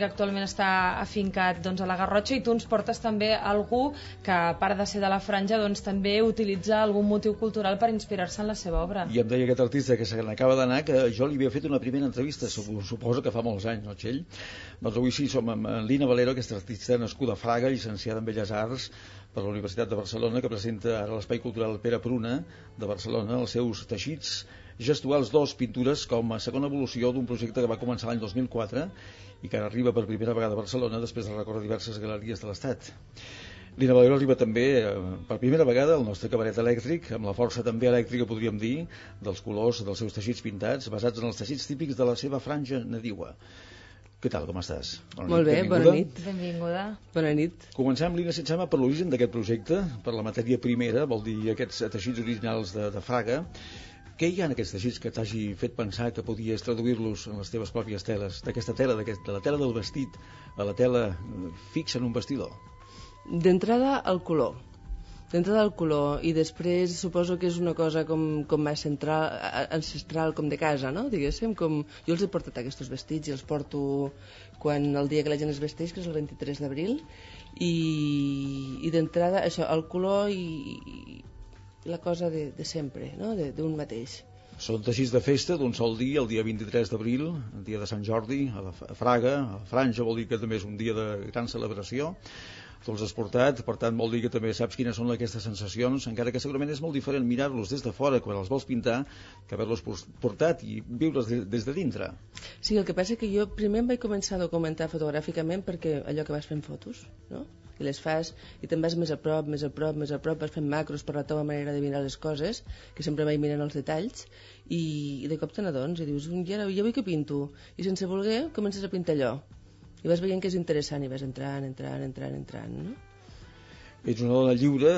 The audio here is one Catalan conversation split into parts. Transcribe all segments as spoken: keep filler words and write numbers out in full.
que actualment està afincat doncs, a la Garrotxa, i tu ens portes també algú que, a part de ser de la franja, doncs, també utilitza algun motiu cultural per inspirar-se en la seva obra. I em deia aquest artista que se n'acaba d'anar que jo li havia fet una primera entrevista, suposo que fa molts anys, no, Txell? Doncs avui sí, som amb Lina Valero, aquesta artista nascuda a Fraga, llicenciada en Belles Arts per la Universitat de Barcelona, que presenta ara a l'Espai Cultural Pere Pruna de Barcelona els seus teixits gestuals dos, pintures, com a segona evolució d'un projecte que va començar l'any dos mil quatre i que ara arriba per primera vegada a Barcelona després de recórrer diverses galeries de l'Estat. Lina Valero arriba també eh, per primera vegada al nostre cabaret elèctric, amb la força també elèctrica, podríem dir, dels colors dels seus teixits pintats, basats en els teixits típics de la seva franja nadiua. Què tal, com estàs? Bona Molt bé, benvinguda. bona nit. Benvinguda. Bona nit. Comencem, Lina, si et sembla, per l'origen d'aquest projecte, per la matèria primera, vol dir aquests teixits originals de, de Fraga. Què hi ha en aquests teixits que t'hagi fet pensar que podies traduir-los en les teves pròpies teles, d'aquesta tela, de la tela del vestit a la tela fixa en un vestidor? D'entrada, el color. D'entrada el color, i després suposo que és una cosa com, com més central, ancestral, com de casa, no? Diguéssim, com... Jo els he portat aquests vestits i els porto quan el dia que la gent es vesteix, que és el vint-i-tres d'abril, i, i d'entrada això, el color i, i la cosa de, de sempre, no? D'un mateix. Són teixits de festa d'un sol dia, el dia vint-i-tres d'abril, el dia de Sant Jordi, a, la, a Fraga, a la Franja, vol dir que també és un dia de gran celebració. Tu els has portat, per tant vol dir que també saps quines són aquestes sensacions, encara que segurament és molt diferent mirar-los des de fora quan els vols pintar que haver-los portat i viure'ls des de dintre. Sí, el que passa que jo primer em vaig començar a documentar fotogràficament perquè allò que vas fent fotos, no? I les fas i te'n vas més a prop, més a prop, més a prop, vas fent macros per la teva manera de mirar les coses, que sempre vaig mirant els detalls, i, i de cop te n'adones i dius, ja, ja vull que pinto, i sense voler comences a pintar allò. I vas veient que és interessant i vas entrant, entrant, entrant, entrant, no? Ets una dona lliure,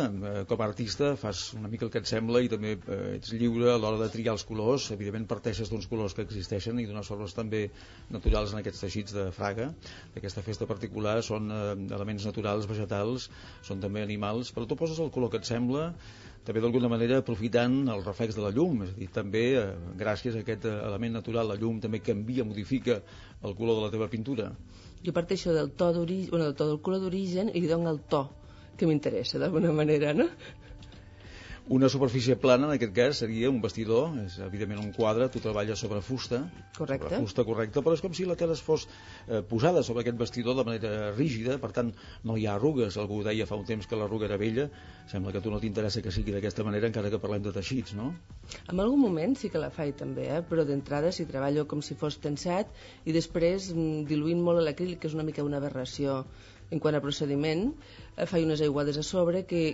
com a artista, fas una mica el que et sembla i també ets lliure a l'hora de triar els colors. Evidentment parteixes d'uns colors que existeixen i d'unes formes també naturals en aquests teixits de Fraga, d'aquesta festa particular. Són elements naturals, vegetals, són també animals, però tu poses el color que et sembla, també d'alguna manera aprofitant el reflex de la llum, és a dir, també gràcies a aquest element natural, la llum també canvia, modifica el color de la teva pintura. Jo parteixo del to d'origen, bueno, del to del color d'origen i li dono el to que m'interessa d'alguna manera, no? Una superfície plana, en aquest cas, seria un vestidor, és evidentment un quadre, tu treballes sobre fusta, correcte. Sobre fusta correcta, però és com si la tela fos eh, posada sobre aquest vestidor de manera rígida, per tant no hi ha arrugues. Algú deia fa un temps que l'arruga era vella, sembla que a tu no t'interessa que sigui d'aquesta manera, encara que parlem de teixits, no? En algun moment sí que la faig també, eh? Però d'entrada si treballo com si fos tensat i després diluint molt l'acrílic, que és una mica una aberració en quant a procediment, eh, faig unes aiguades a sobre que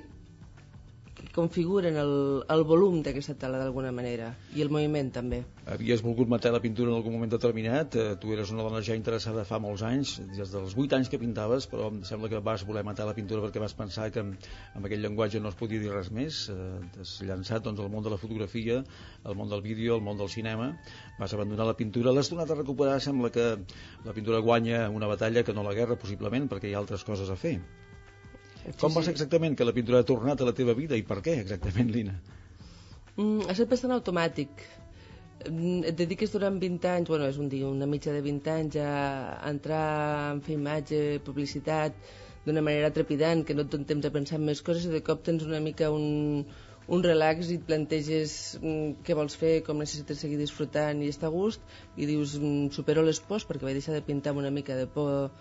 configuren el, el volum d'aquesta tela d'alguna manera i el moviment també. Havies volgut matar la pintura en algun moment determinat, eh, tu eres una dona ja interessada fa molts anys, des dels vuit anys que pintaves, però em sembla que vas voler matar la pintura perquè vas pensar que amb, amb aquell llenguatge no es podia dir res més, eh, t'has llançat doncs, al món de la fotografia, al món del vídeo, al món del cinema, vas abandonar la pintura, l'has tornat a recuperar, sembla que la pintura guanya una batalla que no la guerra possiblement perquè hi ha altres coses a fer. Com va ser exactament que la pintura ha tornat a la teva vida i per què exactament, Lina? Mm, ha estat bastant automàtic. Et dediques durant vint anys, bueno, és un dia, una mitja de vint anys a entrar en fer imatge, publicitat d'una manera trepidant, que no et dona temps a pensar en més coses i de cop tens una mica un, un relax i et planteges què vols fer, com necessites seguir disfrutant i estar a gust i dius, supero les pors perquè vaig deixar de pintar amb una mica de por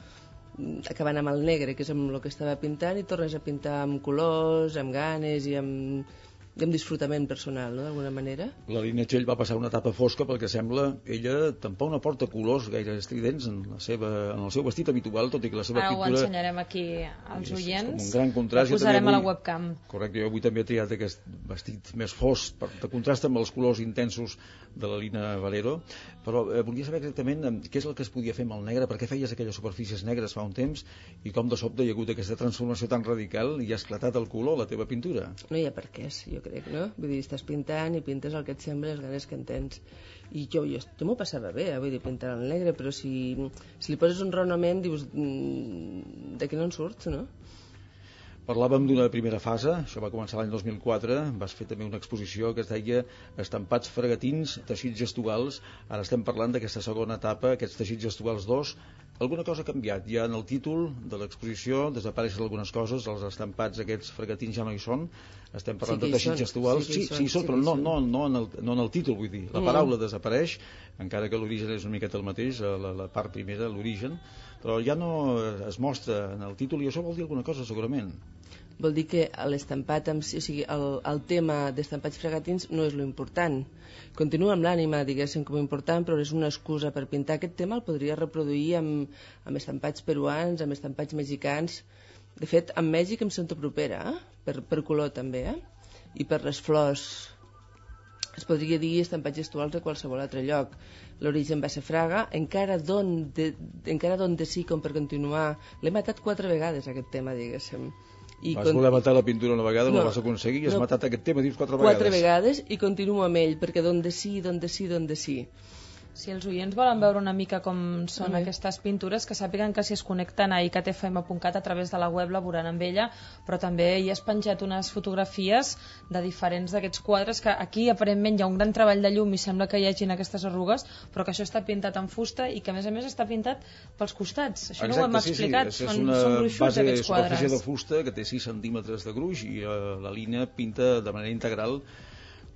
acabant amb el negre, que és amb el que estava pintant, i tornes a pintar amb colors, amb ganes i amb, i amb disfrutament personal, no?, d'alguna manera. La Lina Txell va passar una etapa fosca perquè sembla ella tampoc no porta colors gaire estridents en, la seva, en el seu vestit habitual, tot i que la seva Ara pintura... Ara ho ensenyarem aquí als oients. És un gran contrast. Ho posarem avui, a la webcam. Correcte, jo avui també he triat aquest vestit més fosc, per, de contrast amb els colors intensos de la Lina Valero, però eh, volia saber exactament eh, què és el que es podia fer amb el negre, per què feies aquelles superfícies negres fa un temps i com de sobte hi ha hagut aquesta transformació tan radical i ha esclatat el color a la teva pintura. No hi ha per què, jo crec, no? Vull dir, estàs pintant i pintes el que et sembla, les ganes que en tens. I jo, jo, jo m'ho passava bé, eh? Vull dir, pintar el negre, però si, si li poses un raonament, dius, de què no en surts, no? Parlàvem d'una primera fase, això va començar l'any dos mil quatre, vas fer també una exposició que es deia Estampats fregatins, teixits gestuals. Ara estem parlant d'aquesta segona etapa, aquests teixits gestuals dos, alguna cosa ha canviat. Ja en el títol de l'exposició desapareixen algunes coses, els estampats aquests fregatins ja no hi són, estem parlant sí de teixits gestuals, sí, sí, sí, són, però no, no, no, en el, no en el títol, vull dir, la paraula mm. desapareix, encara que l'origen és una miqueta el mateix, la, la part primera, l'origen, però ja no es mostra en el títol, i això vol dir alguna cosa segurament. Vol dir que l'estampat, o sigui, el, el tema d'estampats fregatins no és lo important. Continua amb l'ànima, diguéssim, com a important, però és una excusa per pintar. Aquest tema el podria reproduir amb, amb estampats peruans, amb estampats mexicans. De fet, amb Mèxic em sento propera, eh? per, per color també, eh? I per les flors. Es podria dir estampats gestuals de qualsevol altre lloc. L'origen va ser Fraga, encara don de, encara don de sí com per continuar. L'he matat quatre vegades, aquest tema, diguéssim. I vas voler matar la pintura una vegada, no, no vas aconseguir, i has no, matat aquest tema, dius, quatre vegades. Quatre vegades, i continuo amb ell, perquè d'on de sí, d'on de sí, d'on de sí. Si els oients volen veure una mica com són mm. aquestes pintures, que sàpiguen que si es connecten a i c t f m punt cat a través de la web la veuran amb ella, però també hi has penjat unes fotografies de diferents d'aquests quadres, que aquí aparentment hi ha un gran treball de llum i sembla que hi hagin aquestes arrugues, però que això està pintat en fusta i que a més a més està pintat pels costats. Això Exacte, no ho hem sí, explicat, sí. són, és una són gruixuts aquests quadres. Base de fusta que té sis centímetres de gruix i uh, la línia pinta de manera integral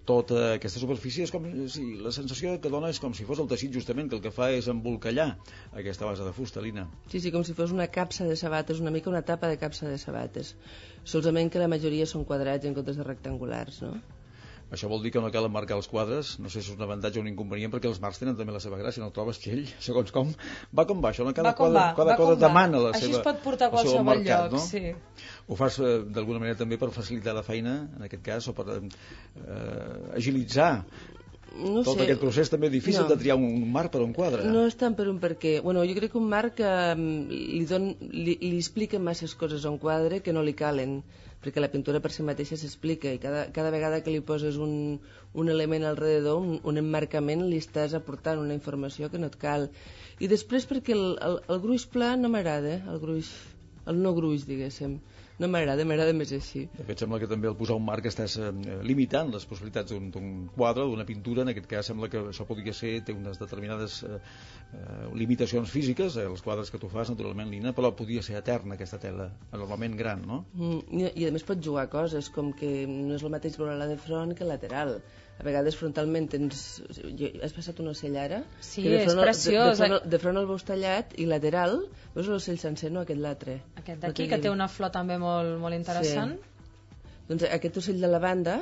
tota aquesta superfície. És com si la sensació que dona és com si fos el teixit justament, que el que fa és embolcallar aquesta base de fusta, Lina. Sí, sí, com si fos una capsa de sabates, una mica una tapa de capsa de sabates, solament que la majoria són quadrats en comptes de rectangulars, no? Això vol dir que no cal emmarcar els quadres, no sé si és un avantatge o un inconvenient, perquè els marcs tenen també la seva gràcia, no el trobes, Txell? Segons com, va com va, això, no? Cada va com quadre, va, cada va cosa com demana va. la Així seva, es pot portar a qualsevol mercat, lloc, no? sí. Ho fas eh, d'alguna manera també per facilitar la feina, en aquest cas, o per eh, agilitzar no tot sé. Aquest procés també difícil no. de triar un marc per un quadre. No és tant per un perquè. Bueno, jo crec que un marc eh, li, don, li, li explica masses coses a un quadre que no li calen, perquè la pintura per si mateixa s'explica i cada, cada vegada que li poses un, un element alrededor, un, un emmarcament, li estàs aportant una informació que no et cal. I després perquè el, el, el gruix pla no m'agrada, el gruix, el no gruix, diguéssim. No m'agrada, m'agrada més així. De fet, sembla que també al posar un marc estàs eh, limitant les possibilitats d'un quadre, d'una pintura. En aquest cas sembla que això podria ser, té unes determinades eh, eh, limitacions físiques, eh, els quadres que tu fas, naturalment, Lina, però podria ser eterna aquesta tela, normalment gran, no? Mm, i, I a més pots jugar coses, com que no és el mateix veure-la de front que lateral. A vegades frontalment tens... Has passat un ocell ara? Sí, és preciós. De, de, front, de front el veus tallat i lateral veus l'ocell sencer, no aquest l'altre. Aquest d'aquí, que té una flor també molt, molt interessant. Sí. Doncs aquest ocell de la banda,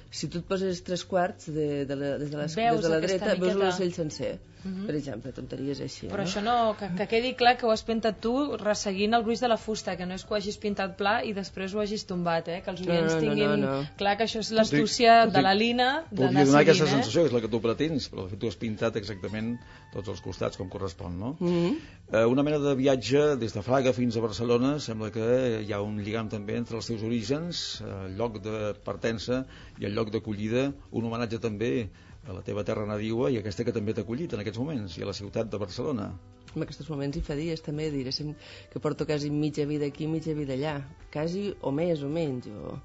si tu et poses tres quarts de, de la, des de, les, des de la dreta, miqueta... veus l'ocell sencer. Uh -huh. Per exemple, tonteries així. Però no? això no, que, que quedi clar que ho has pintat tu resseguint el gruix de la fusta, que no és que ho hagis pintat pla i després ho hagis tombat, eh? Que els oients no, no, tinguin no, no. clar que això és l'astúcia de la Lina d'anar donar aquesta eh? sensació, que és la que tu pretens, però de fet tu has pintat exactament tots els costats com correspon, no? Uh -huh. eh, una mena de viatge des de Fraga fins a Barcelona, sembla que hi ha un lligam també entre els teus orígens, el lloc de partença i el lloc d'acollida, un homenatge també a la teva terra nadiua i aquesta que també t'ha acollit en aquests moments, i a la ciutat de Barcelona. En aquests moments i fa dies també, diréssim que porto quasi mitja vida aquí, mitja vida allà, quasi o més o menys, o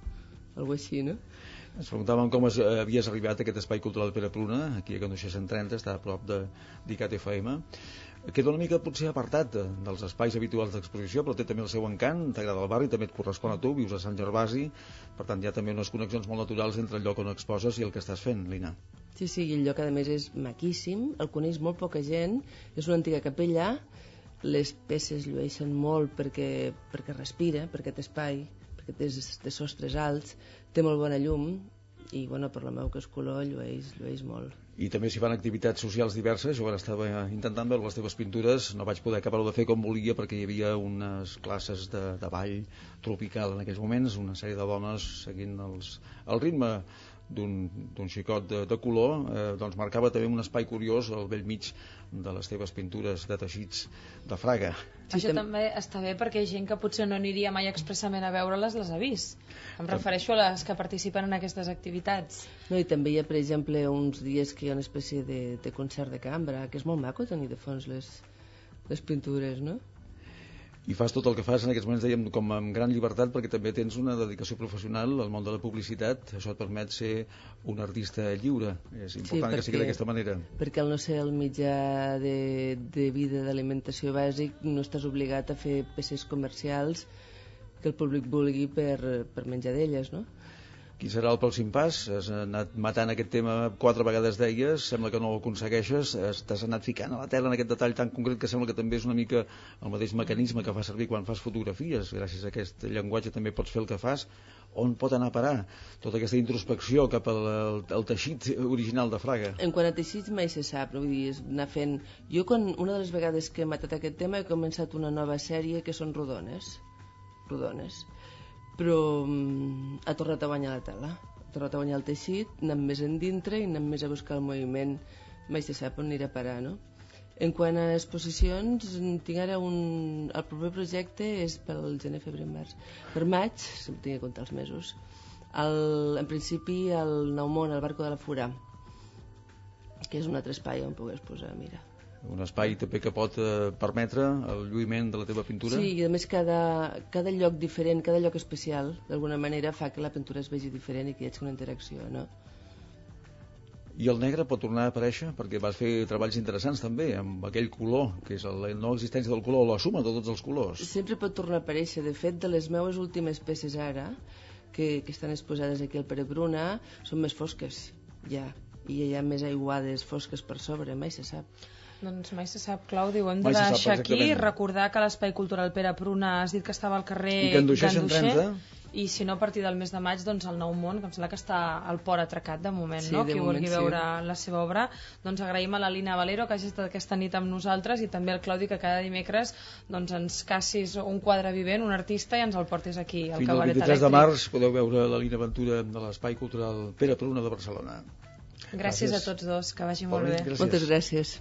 alguna així, no? Ens preguntàvem com es, eh, havies arribat a aquest espai cultural Pere Pruna, aquí a Candoixer cent trenta, està a prop de d'I C A T F M. Queda una mica potser apartat de, dels espais habituals d'exposició, però té també el seu encant, t'agrada el barri, també et correspon a tu, vius a Sant Gervasi, per tant hi ha també unes connexions molt naturals entre el lloc on exposes i el que estàs fent, Lina. Sí, sí, i el lloc a més és maquíssim, el coneix molt poca gent, és una antiga capella, les peces llueixen molt perquè, perquè respira, per aquest espai, perquè té, té sostres alts, té molt bona llum, i bueno, per la meu que és color llueix, llueix molt. I també s'hi fan activitats socials diverses. Jo ara estava intentant veure les teves pintures, no vaig poder acabar-ho de fer com volia perquè hi havia unes classes de, de ball tropical en aquells moments, una sèrie de dones seguint els, el ritme d'un xicot de, de color, eh, doncs marcava també un espai curiós al vell mig de les teves pintures de teixits de Fraga. Sí, això també està bé perquè gent que potser no aniria mai expressament a veure-les les ha vist. Em refereixo a les que participen en aquestes activitats. No, i també hi ha, per exemple, uns dies que hi ha una espècie de, de concert de cambra, que és molt maco tenir de fons les, les pintures, no? I fas tot el que fas en aquests moments, dèiem, com amb gran llibertat, perquè també tens una dedicació professional al món de la publicitat. Això et permet ser un artista lliure. És important sí, perquè, que sigui d'aquesta manera. Perquè al no ser el mitjà de, de vida, d'alimentació bàsic, no estàs obligat a fer peces comercials que el públic vulgui per, per menjar d'elles, no? Qui serà el pròxim pas? Has anat matant aquest tema quatre vegades, deies, sembla que no ho aconsegueixes, t'has anat ficant a la tela en aquest detall tan concret que sembla que també és una mica el mateix mecanisme que fa servir quan fas fotografies. Gràcies a aquest llenguatge també pots fer el que fas. On pot anar a parar tota aquesta introspecció cap al, al, al teixit original de Fraga? En quant a teixits mai se sap, no? Vull dir, és anar fent... Jo, quan, una de les vegades que he matat aquest tema, he començat una nova sèrie que són rodones. Rodones. Però um, ha tornat a guanyar la tela, ha tornat a guanyar el teixit, anant més endintre i anant més a buscar el moviment, mai se sap on anirà a parar, no? En quant a exposicions, tinc ara un... el proper projecte és pel gener, febrer, març. Per maig, si em tinc a comptar els mesos, el, en principi el Nou Món, el Barco de la Fura, que és un altre espai on pugues posar, mira. Un espai també que pot eh, permetre el lluïment de la teva pintura? Sí, i a més cada, cada lloc diferent, cada lloc especial, d'alguna manera fa que la pintura es vegi diferent i que hi hagi una interacció, no? I el negre pot tornar a aparèixer? Perquè vas fer treballs interessants també, amb aquell color, que és la no existència del color, o la suma de tots els colors. Sempre pot tornar a aparèixer. De fet, de les meves últimes peces ara, que, que estan exposades aquí al Pere Pruna, són més fosques, ja. I hi ha més aiguades fosques per sobre, mai se sap. Doncs mai se sap, Claudi, ho hem de deixar aquí, recordar que l'Espai Cultural Pere Pruna has dit que estava al carrer Ganduixer, i si no a partir del mes de maig doncs el Nou Món, que em sembla que està al port atracat de moment, sí, no? De qui moment, vulgui sí. veure la seva obra, doncs agraïm a la Lina Valero que hagi estat aquesta nit amb nosaltres i també al Claudi que cada dimecres doncs ens cassis un quadre vivent, un artista i ens el portis aquí al Cabaret Elèctric. Fins al vint-i-tres de març podeu veure la Lina Ventura de l'Espai Cultural Pere Pruna de Barcelona. Gràcies, gràcies a tots dos, que vagi molt bé. Gràcies. Moltes gràcies.